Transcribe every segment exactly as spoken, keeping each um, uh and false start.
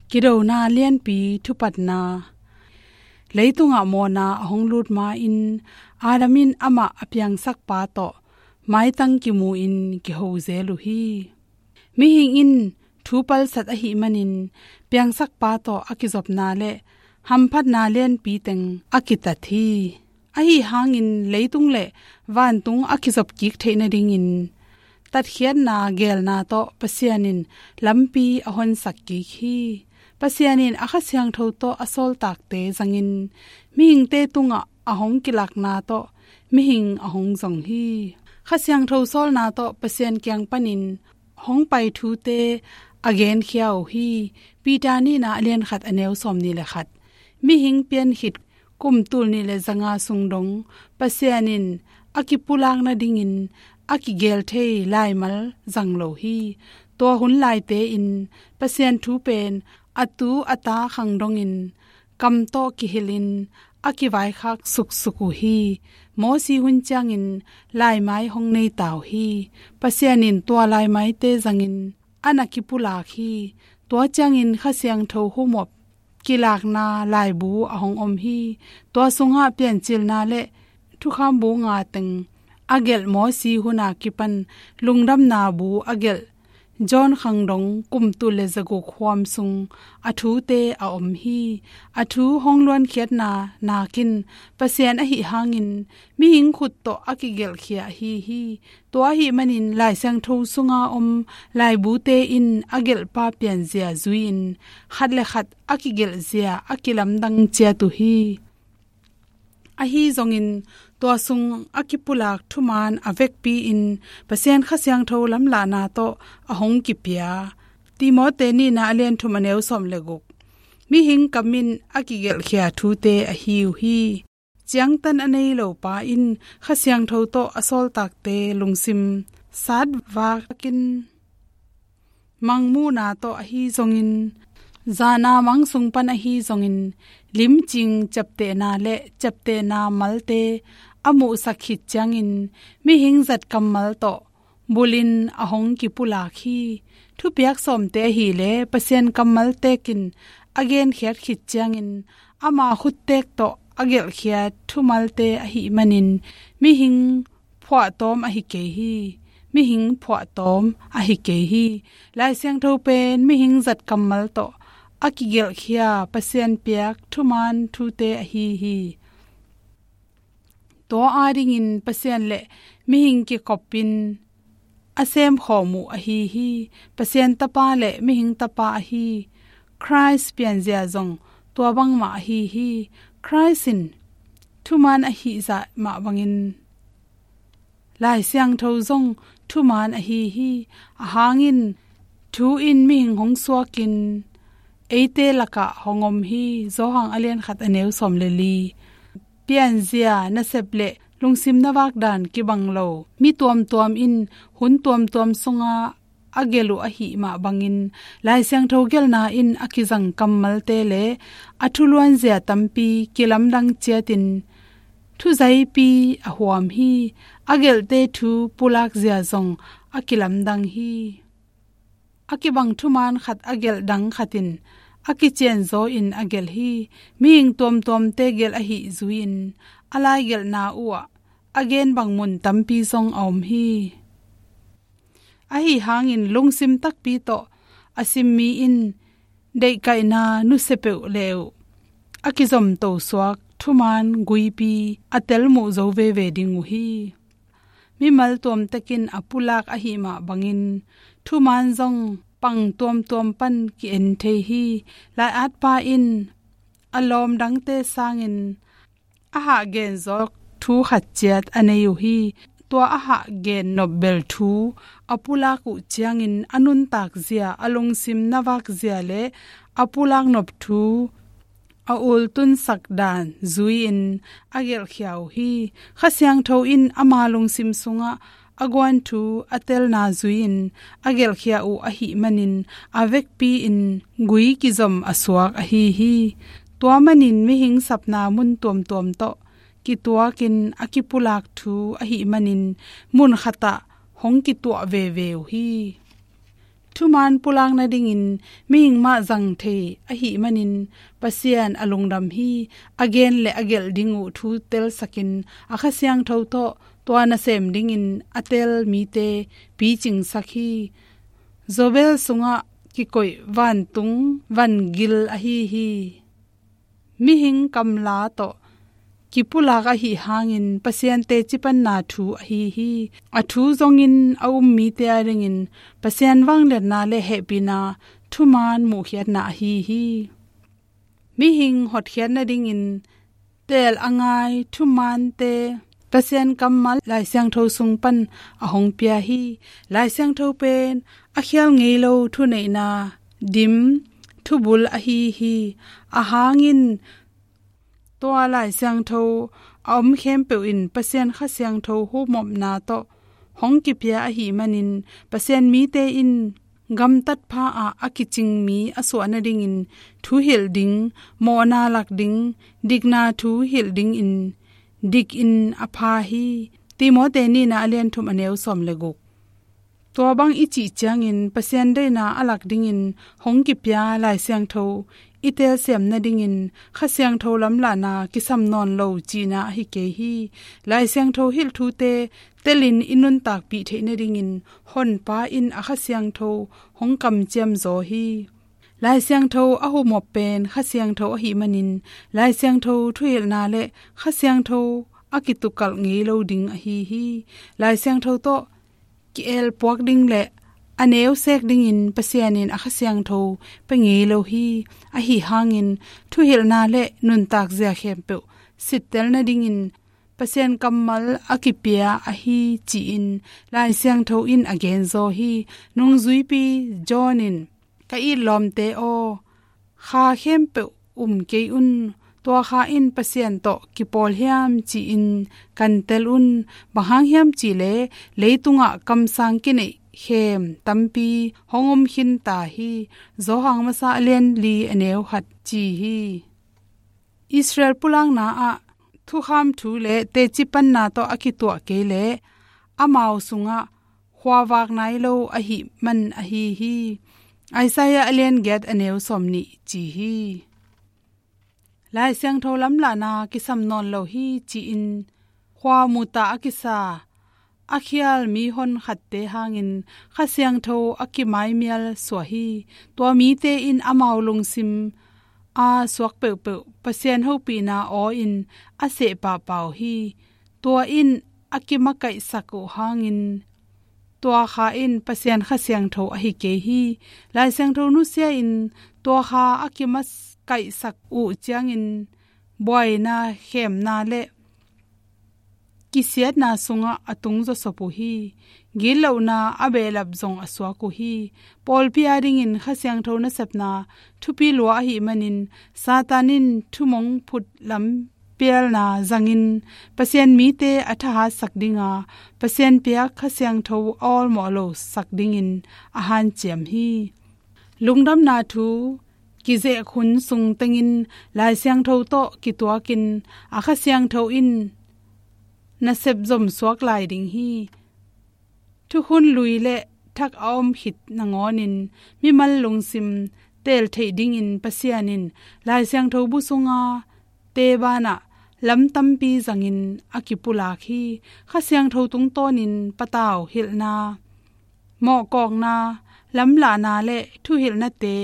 Kidona lianpi thupatna. Leitungah mawhna a hong lut ma-in Adam in amah a piangsak pa tawh maitang kimu-in kiho zel uh hi. Mihing in thu palsat ahih manin piangsak pa tawh a kizopna le hamphatna lianpi teng a kitat hi. Ahi hangin leitung le vantung a kizop kik theih nadingin tatkhiatna geelna tawh Pasian in lampi a honsak kik hi. Pasian in a Kha Siangtho tawh a sawltakte zangin mihingte tungah a hong kilakna tawh mihing a hong zong hi. Kha Siangtho sawlna tawh Pasian kiang panin hong pai thute a genkhia uh hi. Peter nihna a lian khat a neu sawmnih le khat. Mihing piankhit kum tul nih le zanga sung dong Pasian in a kipulak nadingin a kigel thei laimal zang lo hi. Tua hun laite in Pasian thu pen a tu a ta khang dongin kam tawh kihilhin a kivaikhak suksuk uh hi. Mosi hun ciangin laimai hong nei ta uh hi. Pasian in tua laimaite zangin a na kipulak hi. Tua ciangin Kha Siangtho humop kilakna laibu a hong om hi. Tua sungah Piancilna le Thukham bu nga teng a gelh Mosi huna kipan lungdamna bu a gelh John khang dong kum tul le zaguk huam sung a thute a om hi. A thu hong luankhiatna nakin Pasian ahi hangin mihing khut tawh a kigelhkhia ahi hi. Tua ahih manin Lai Siangtho sunga om laibute in a gelhpa pianzia zui-in khat le khat a kigelhzia a kilamdang ciat uh hi. Ahi zongin tua sung a kipulak thuman a vekpi-in Pasian Kha Siangtho lamlahna tawh a hong kipia. Timote nihna a lian thum a neu sawm le guk. Mihing kam in a kigelhkhia thute ahi uh hi. Ciangtan a nei lo pa in Kha Siangtho tawh a sawltakte lungsim satvakin mangmuhna tawh ahi zongin, zana mang sung pan ahi zongin, limcing ciaptehna le ciaptehna malte a muhsak khit ciangin mihing zat kammal tawh bulhin a hong kipulak hi. Thupiak sawmte ahileh Pasian kammal tekin a genkhiat khit ciangin ama khuttek tawh a gelhkhiat thumalte ahih manin mihing phuahtawm ahi kei hi. Mihing phuahtawm ahi kei hi. Lai Siangtho pen mihing zat kammal tawh a kigelhkhia Pasian piak thuman thute ahi hi. Tua adingin Pasian le mihing kikopin a semkhawm uh ahi hi. Pasian Tapa le mihing Tapa ahi Khrist pianzia zong tua bangmah ahi hi. Khrist in thuman ahih zah mah bangin Lai Siangtho zong thuman ahi hi. A hangin thu in mihing hong suakin eite lakah hong om hi. Johan a lian khat a neu sawm le li. Pianzia, nasep le lungsim na vakdan kibang lo mi tuamtuam in hun tuamtuam sunga a gelh uh ahih mah bangin Lai Siangtho gelhna in a kizang kammalte le a thuluanzia tampi kilamdang ciatin thuzaipi a huam hi. A gelhte thu pulakzia zong a kilamdang hi. A kibang thuman khat a gelh dang khat in a kicianzaw in a gelh hi. Mihing tuamtuamte gelh ahih zui-in a laigelhna uhah a gen bang mun tampi zong a om hi. Ahi hangin lungsim takpi tawh a sim mi in deihkaihna nusia peuh le uh a kizomto suak thuman guipi a telmuh zo veve ding uh hi. Mimal tuamtekin a pulak ahih mah bangin thuman zong pang tuamtuam pan ki-en thei hi. Lai-atpa in a lawm dangte sangin a hah genzawk thu khat ciat a nei uh hi. Tua a hah gen nop bel thu a pulak uh ciangin a nuntak zia, a lungsim na vak zia le a pulak nop thu a ultunsak dan zui-in a gelhkhia uh hi. Kha Siangtho in ama lungsim sungah a guan thu a telna zui-in a gelhkhia uh ahih manin a vekpi-in gui kizom a suak ahi hi. Tua manin mihing sapna mun tuamtuam tawh kituakin a kipulak thu ahih manin mun khatah hong kituah veve uh hi. thuman pulak nadingin mihing mah zang thei ahih manin Pasian a lungdam hi. A gen le a gelh ding uh thu telsakin a Kha Siangtho tawh tua nasem dingin a tel mite picingsak hi. Jobel sungah kikoih vantung vangil ahi hi. Mihing kamla tawh kipulak ahih hangin Pasian teci panna thu ahi hi. A thu zongin a um mite adingin Pasian vangliatna le hehpihna thuman muhkhiatna ahi hi. Mihing hotkhiat nadingin teel a ngai thumante Pasian kammal Lai Siangtho sung pan a hong pia hi. Lai Siangtho pen a khial ngei lo thuneihna dim thubul ahi hi. A hangin tua Lai Siangtho a om khempeuh in Pasian Kha Siangtho humopna tawh hong kipia ahih manin Pasian mite in gamtat pha-ah a kicing mi a suah nadingin thu hilh ding, mawhna lak ding, dikna thu hilh dingin dikin a pha hi. Timote nihna a lian thum a neu sawm le guk. Tua bang i cih ciangin Pasian deihna a lak dingin hong kipia Lai Siangtho i telsiam nadingin Kha Siangtho lamlahna kisam nawn lo cihna ahi kei hi. Lai Siangtho hilh thute telin i nuntakpih theih nadingin Honpa in a Kha Siangtho hong kamciam zaw hi. Lai Siangtho a humop pen Kha Siangtho ahih manin Lai Siangtho thuhilhna le Kha Siangtho a kitukalh ngei lo ding ahi hi. Lai Siangtho tawh ki-elpuak ding le a neusek dingin Pasian in a Kha Siangtho pia ngei lo hi. Ahi hangin thuhilhna le nuntak zia khempeuh sittel nadingin Pasian kammal a kipia ahi ci-in Lai Siangtho in a genzaw hi. Nungzuipi John in, "Ka it lawmte aw, kha khempeuh um kei un. Tua kha in Pasian tawh kipawl hiam ci-in kan tel un. Bang hang hiam cih leh leitungah kamsang kineih khem tampi hong om khin ta hi." Johan masa a lian li a neu khat ci hi. Israel pulakna ah thukham thu le teci panna tawh a kituah kei leh amau sungah khuavak nai lo ahih man ahi hi. Isaiah a lian giat a neu sawm nih ci hi. Lai Siangtho lamlahna kisam nawn lo hi ci-in khua muta a kisa a khial mihon khatte hangin Kha Siangtho a kimaimial suah hi. Tua mite in amau lungsim a suak peuhpeuh Pasian hopihna aw-in a seh pahpah uh hi. Tua in a kimakaihsak uh hangin tua kha in Pasian Kha Siangtho ahi kei hi. Lai Siangtho nusia in tua kha a kimakaihsak uh ciangin buaina, khemna le kisiatna sungah a tung zawsop uh hi. Gitlohna a behlap zong a suak uh hi. Pawlpi adingin Kha Siangtho nasepna thupi lua ahih manin Satan in thumong phut lampialna zangin Pasian mite a thahatsak dinga Pasian piak Kha Siangtho a awlmawh losak dingin a hanciam hi. Lungdamna thu kizek hun sung tengin Lai Siangtho tawh kituakin a Kha Siangtho in nasep zomsuak lai ding hi. Thukhun lui le thak a om khit nangawnin mimal lungsim teel theih dingin Pasian in Lai Siangtho bu sunga te banah lam tampi zangin a kipulak hi. Kha Siangtho tungtawnin patau hilhna, mawhkawkna, lamlahna le thuhilhnate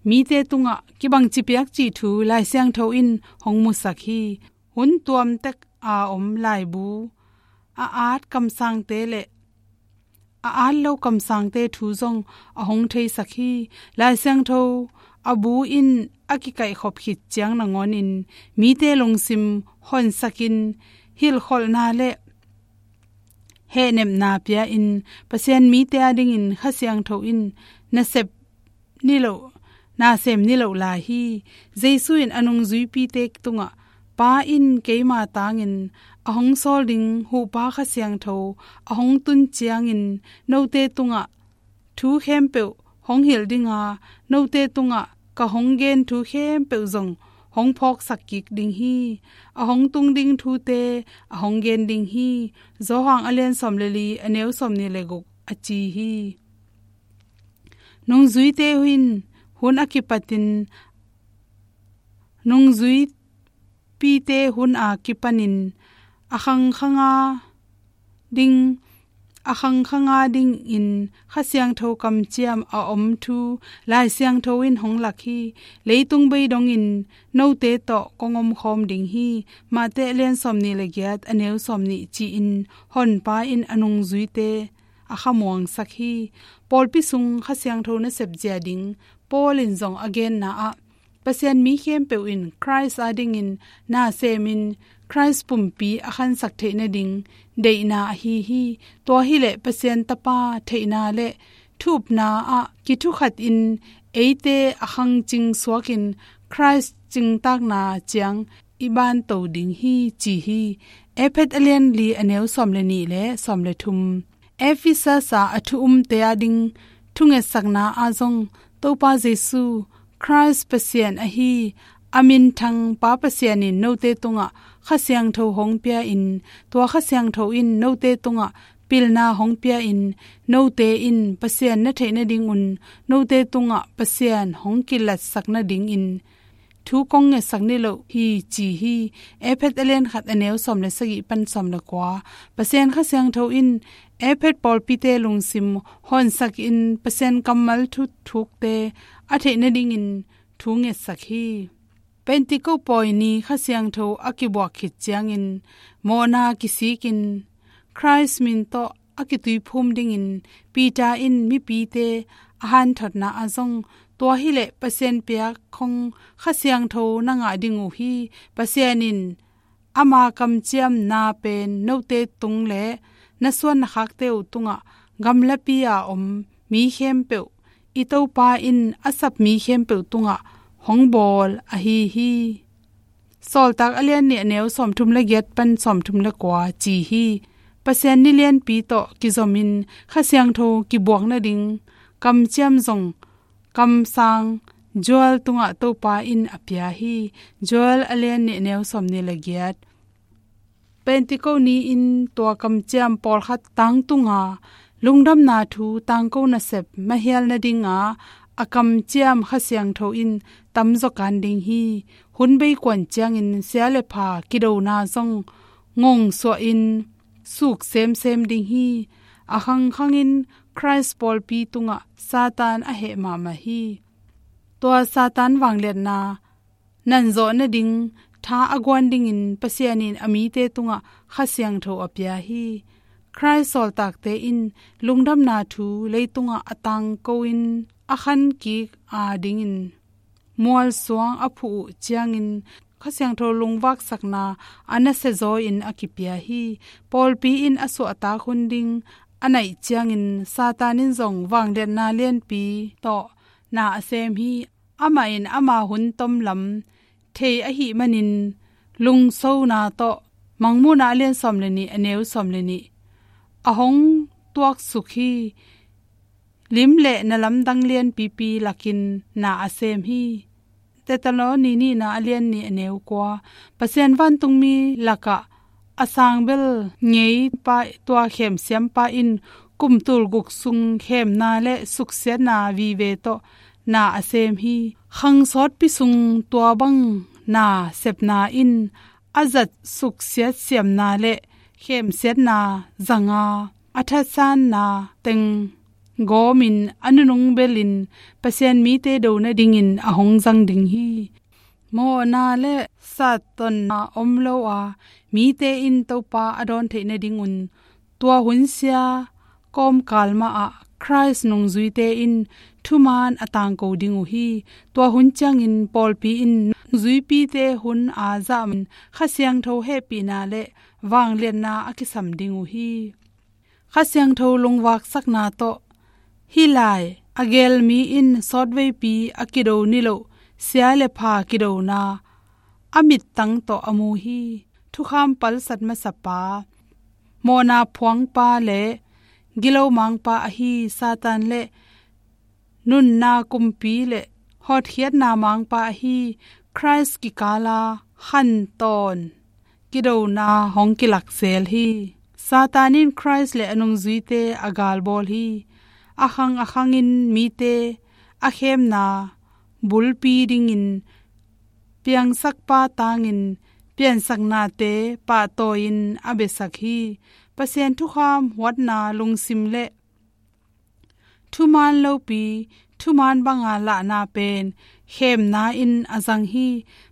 mite tungah kibangci piak cih thu Lai Siangtho in hong musak hi. Hun tuamtek a om laibu, a at kamsangte le a at lo kamsangte thu zong a hong theisak hi. Lai Siangtho a bu in a kikaihkhop khit ciang nangawnin mite lungsim honsakin hilhkholhna le hehnepna pia-in Pasian mite adingin Kha Siangtho in nasep niloh, nasem niloh lai hi. Jesu in a nungzuipite tungah, "Pa in keima tangin a hong sawl ding Huhpa Kha Siangtho a hong tun ciangin note tungah thu khempeuh hong hilh dinga, note tungah ka hong gen thu khempeuh zong hong phawksak kik ding hi. A hong tung ding thute a hong gen ding hi." Johan a lian sawm le li, a neu sawm nih le guk a ci hi. Nungzuite in hun a kipatin, nungzuipite hun a kipanin a khangkhanga ding, a khangkhanga dingin Kha Siangtho kamciam a om thu Lai Siangtho in hong lak hi. Leitung bei dongin note tawh kong omkhawm ding hi. Mate a lian sawmnih le giat, a neu sawmnih ci-in Honpa in a nungzuite a khamuangsak hi. Pawlpi sung Kha Siangtho nasep zia ding Paul in zong a genna ah, Pasian mi khempeuh in Khrist adingin na semin Khrist pumpi a khansak theih nading deihna ahi hi. Tua hileh Pasian Tapa theihna le thupna ah kithukhatin eite a khangcing suakin Khrist cingtakna ciang i banto ding hi, ci hi. Efesa a lian li, a neu sawm le nih le sawm le thum. Efesa a thu umte ading thungetsakna ah zong Topa Jesu, Khrist Pasian ahi, a minthang Pa Pasian in note tungah Kha Siangtho hong pia-in, tua Kha Siangtho in note tungah pilna hong pia-in, note in Pasian na theih nadingun note tungah Pasian hong kilatsak nadingin thu kong ngetsak niloh hi, ci hi. Efesa a lian khat, a neu sawm le sagih pan sawm le kua. Pasian Kha Siangtho in Efesa pawlpite lungsim honsakin Pasian kammal thuthukte a theih nadingin thu ngetsak hi. Pentecost pawi ni Kha Siangtho a kibuak khit ciangin mawhna kisikin Khrist min tawh a kituiphum dingin Peter in mipite a hanthotna ah zong, tua hileh Pasian piak khong Kha Siangtho na ngah ding uh hi. Pasian in ama kamciamna pen note tung le na suan na khakte uh tungah, gamlapi a om mi khempeuh, i Topa in a sap mi khempeuh tungah hong bawl ahi hi. Sawltak a lian nih, a neu sawmthum le giat pan sawmthum le kua ci hi. Pasian ni lianpi tawh kizomin Kha Siangtho kibuak nading kamciam zong kamsang Joel tungah Topa in a pia hi. Joel a lian nih, a neu sawmnih le giat. Pentecost ni-in tua kamciam pawlkhat tangtunga, lungdamna thu tangko nasep mahial nadinga a kamciam Kha Siangtho in tamzaw kan ding hi. Hun bei kuan ciangin sia le pha kidona zong ngongsuahin suk semsem ding hi. A khangkhangin Khrist pawlpi tungah Satan a heh mahmah hi. Tua Satan vangliatna nanzawh nading tha a guan dingin Pasian in a mite tungah Kha Siangtho a pia hi. Khrist sawltakte in lungdamna thu leitungah a tangko in a khankik a dingin mualsuang a phuh uh ciangin Kha Siangtho lungvaksakna a nasia zaw in a kipia hi. Pawlpi in a suahtak hun ding a naih ciangin Satan in zong vangliatna lianpi tawh na a sem hi. Amah in ama hun tomlam thei ahih manin lungsona tawh, Mangmuhna a lian sawm le nih, a neu sawm le nih, a hong tuaksuk hi. Lim le na lamdang lianpipi lakin na a sem hi. Thessaloni nihna a lian nih, a neu kua. Pasian vantungmi lakah a sangbel ngeipa, tua khemsiampa in kum tul guk sung khemna le suksiatna vive tawh na a sem hi. Khang sawtpi sung tua bang na sepna in a zat suksiat siamna le khemsiatna zanga, a thatsanna teng gawmin a nunung belin Pasian mite do nadingin a hong zang ding hi. Mawhna le sattonna om lo a, mite in Topa a dawn theih nadingun tua hun sia kawmkal mahah Khrist nungzuite in thuman a tangko ding uh hi. Tua hun ciangin pawlpi in nungzuipite hun a zahmin Kha Siangtho hehpihna le vangliatna a kisam ding uh hi. Kha Siangtho lungvaksakna tawh hih lai a geel mi in sawtveipi a kido niloh sia le pha kidona a mittang tawh a mu hi. Thukham palsat masapa, mawhna phuangpa le gilo mangpa ahi Satan le nunna kumpi le hotkhiatna mangpa ahi Khrist kikala khantawn kidona hong kilakzel hi. Satan in Khrist le a nungzuite a galbawl hi. a khang a khangin mite a khemna bulpi dingin piangsakpa tangin piansaknate pahtawi-in a biasak hi. Pasian thukham huatna lungsim le thuman lopi, thuman banga lahna pen khemna in a zang hi.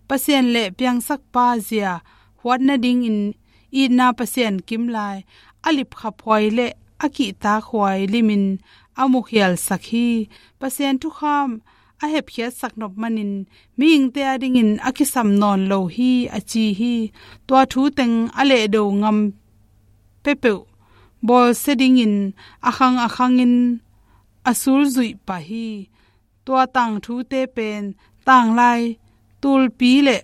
Pasian le piangsakpa zia huat nadingin itna Pasian kimlai a lipkhaphuai le a kihtakhuai limin a mukhialsak hi. Pasian thukham a hepkhiatsak nop manin mihingte adingin a kisam nawn lo hi, a ci hi. Tua thu teng a lehdo ngam peuhpeuh bawlsia dingin a khang a khangin a sulzuih pah hi. Tua tangthute pen tanglai tulpi le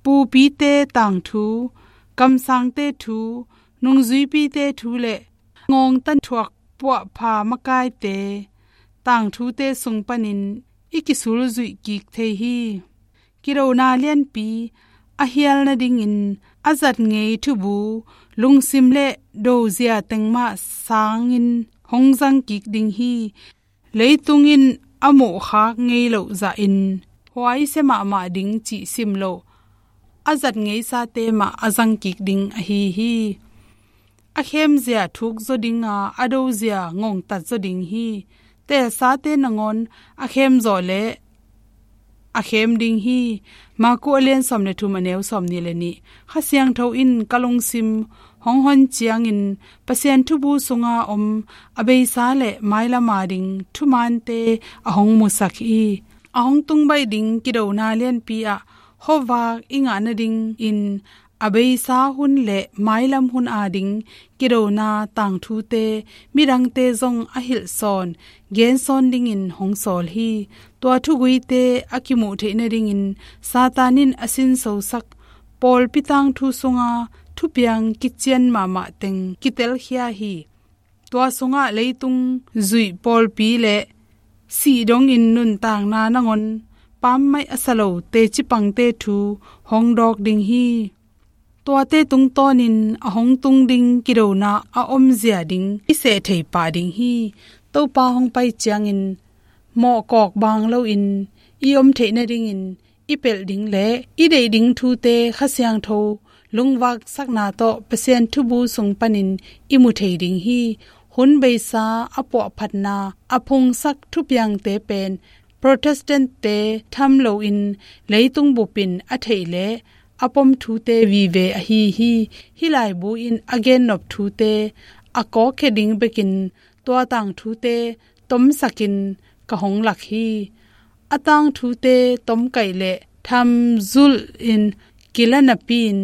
pupite tangthu, kamsangte thu, nungzuipite thu le ngawngtan thuak puahpha makaite tangthute sung panin i kisulzuih kik thei hi. Kidona lianpi a hial nadingin a zat ngei thubu, lungsim le dozia teng mah sangin hong zang kik ding hi. Leitung in a muhkhak ngei loh zahin huaisia mahmah ding cih sim lo a zat ngeisate mah a zang kik ding ahi hi. A khemzia thukzaw dinga, a dozia ngongtatzaw ding hi. Teelsate nangawn a khemzawh le a khem ding hi. Maku a lian sawm le thum, a neu sawmnih le nih. Kha Siangtho in ka lungsim hong hon ciangin Pasian thubu sunga om a beisa le mailam a ding thumante a hong musak hi. A hong tungbaih ding kidona lianpi ah khuavak i ngah nadingin a beisa hun le mailam hun a ding kidona tangthute midangte zong a hilhsawn gensawn dingin hong sawl hi. Tua thuguite a kimuh theih nadingin Satan in a sinsosak pawlpi tangthu sunga thupiang kician mahmah teng kitelkhia hi. Tua sungah leitung zuih pawlpi le sih dongin nuntakna nangawn pammaih a sa lo teci pangte thu hong dawk ding hi. Tuate tungtawnin a hong tung ding kidona a omzia ding i seh thei pah ding hi. Topa hong pai ciangin mawhkawk baang loin i om theih nadingin i pelh ding le i deih ding thute Kha Siangtho lungvaksakna tawh Pasian thubu sung panin i mu thei ding hi. Hun beisa a puahphatna a phungsak thupiangte pen Protestant-te tham loin leitung bupin a theih le a pom thute vive ahi hi. Hih laibu in a gennop thute a kawkkhia ding bekin tua tangthute tomsakin ka hong lak hi. A tangthute tomkaih le thamzulhin kila napi-in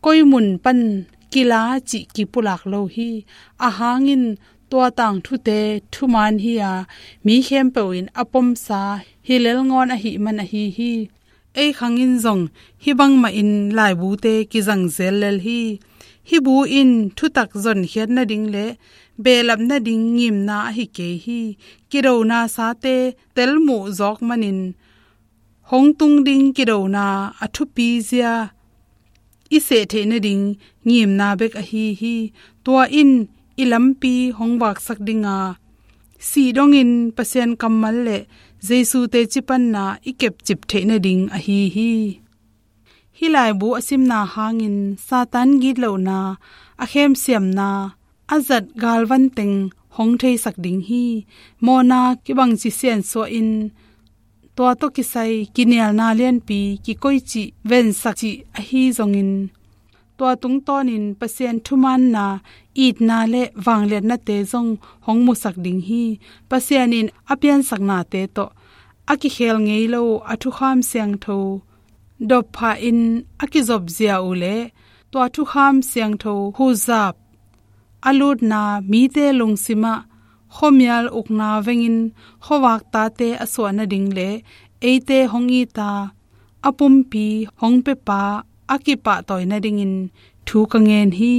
koi mun pan kila cih kipulak lo hi. Ahang in tua tangthute thuman hi-a mi khempeuh in a pomsa hi lel ngawn ahih man ahi hi. Ei khang in zong hih bangmahin laibute kizang zel lel hi. Hih bu in thutak zonkhiat nading le behlap nading ngimna ahi kei hi. Kidona sate telmuh zawk manin hong tung ding kidona a thupizia i seh theih nading ngimna bek ahi hi. Tua in i lampi hong vaksak dinga sih dongin Pasian kammal le Jesu teci panna i kepcip theih nading ahi hi. Hih laibu a simna hangin Satan gitlohna, a khemsiamna, a zat galvan teng hong theisak ding hi. Mawhna kibangci siansuah in tua tawh kisai kinialna lianpi kikoih cih vensak cih ahi zongin tua tungtawnin Pasian thumanna, itna le vangliatnate zong hong musak ding hi. Pasian in a piansaknate tawh a kikhel ngei lo a thukham siangtho dopphah in a kizopzia uh le tua thukham siangtho huzap a lutna mite lungsimah khuamial ukna vengin khuavak tate a suah nading le eite hong ita a pumpi hong pepa a kipahtawi nadingin thu ka ngen hi.